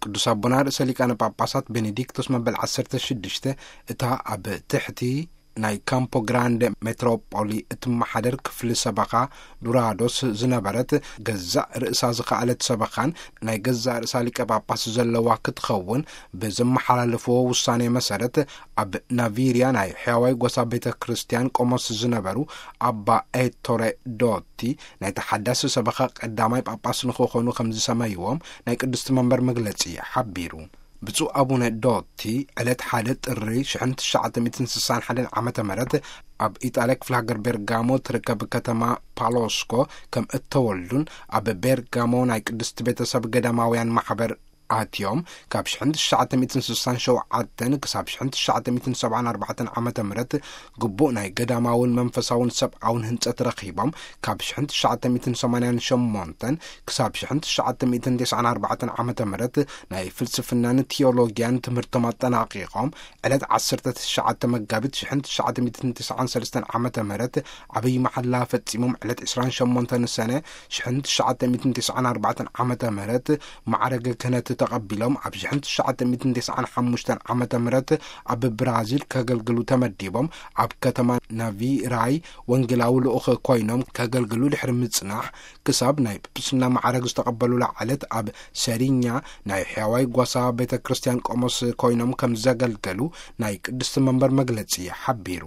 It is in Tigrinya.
ቅዱስ ኣቦና ርእሰ ሊቃነ ጳጳሳት ቤኔዲክቶስ መበል ዓሰርተ ሽዱሽተ፣ እታ ኣብ ትሕቲ ናይ ካምፖ ግራንደ ሜትሮፖሊ እትመሓደር ክፍሊ ሰበኻ ዱራዶስ ዝነበረት፣ ገዛእ ርእሳ ዝኸኣለት ሰበኻን ናይ ገዛእ ርእሳ ሊቀ ጳጳስ ዘለዋ ክትኸውን፣ ብዘመሓላለፍዎ ውሳኔ መሰረት፣ ኣብ ናቪርያ ናይ ሕያዋይ ጎሳ ቤተ ክርስቲያን ቆሞስ ዝነበሩ ኣባ ኤቶሬ ዶቲ፣ ናይ ተሓዳሲ ሰበኻ ቀዳማይ ጳጳስ ንክኾኑ ከም ዝሰመይዎም ናይ ቅድስቲ መንበር መግለጺ ሓቢሩ። ብፁዕ ኣቡነ ዶቲ፣ ዕለት ሓደ ጥሪ ሽሕን ትሽዓተ ሚእትን ስሳን ሓደን ዓመተ ምህረት፣ ኣብ ኢጣልያ ክፍለ ሃገር ቤርጋሞ ትርከብ ከተማ ፓሎስኮ ከም እተወልዱን፣ ኣብ ቤርጋሞ ናይ ቅድስቲ ቤተሰብ ገዳማውያን ማሕበር ኣትዮም፣ ካብ ሽሕን ትሽዓተ ሚእትን ስሳን ሸውዓተን ክሳብ ሽሕን ትሽዓተ ሚእትን ሰብዓን ኣርባዕተን ዓመተ ምህረት ግቡእ ናይ ገዳማውን መንፈሳውን ሰብኣውን ህንጸት ረኺቦም፣ ካብ ሽሕን ትሽዓተ ሚእትን ሰማንያን ሸሞንተን ክሳብ ሽሕን ትሽዓተ ሚእትን ተስዓን ኣርባዕተን ዓመተ ምህረት ናይ ፍልስፍናን ቲዮሎጊያን ትምህርቶም ኣጠናቒቖም፣ ዕለት ዓሰርተ ትሽዓተ መጋቢት ሽሕን ትሽዓተ ሚእትን ተስዓን ሰለስተን ዓመተ ምህረት ዓብይ መሓላ ፈጺሞም፣ ዕለት ዕስራን ሸሞንተን ሰነ ሽሕን ትሽዓተ ሚእትን ተስዓን ኣርባዕተን ዓመተ ምህረት ማዕረገ ክህነት ተቐቢሎም፣ ኣብ ሽሕን ትሽዓተ ሚእትን ተስዓን ሓሙሽተን ዓመተ ምህረት ኣብ ብራዚል ከገልግሉ ተመዲቦም፣ ኣብ ከተማ ናቪራይ ወንጌላዊ ልኡኽ ኮይኖም ከገልግሉ ድሕሪ ምጽናሕ፣ ክሳብ ናይ ጵጵስና ማዕረግ ዝተቐበሉላ ዕለት ኣብ ሰሪኛ ናይ ሕያዋይ ጓሳ ቤተ ክርስቲያን ቆሞስ ኮይኖም ከም ዘገልገሉ ናይ ቅድስቲ መንበር መግለጺ ሓቢሩ።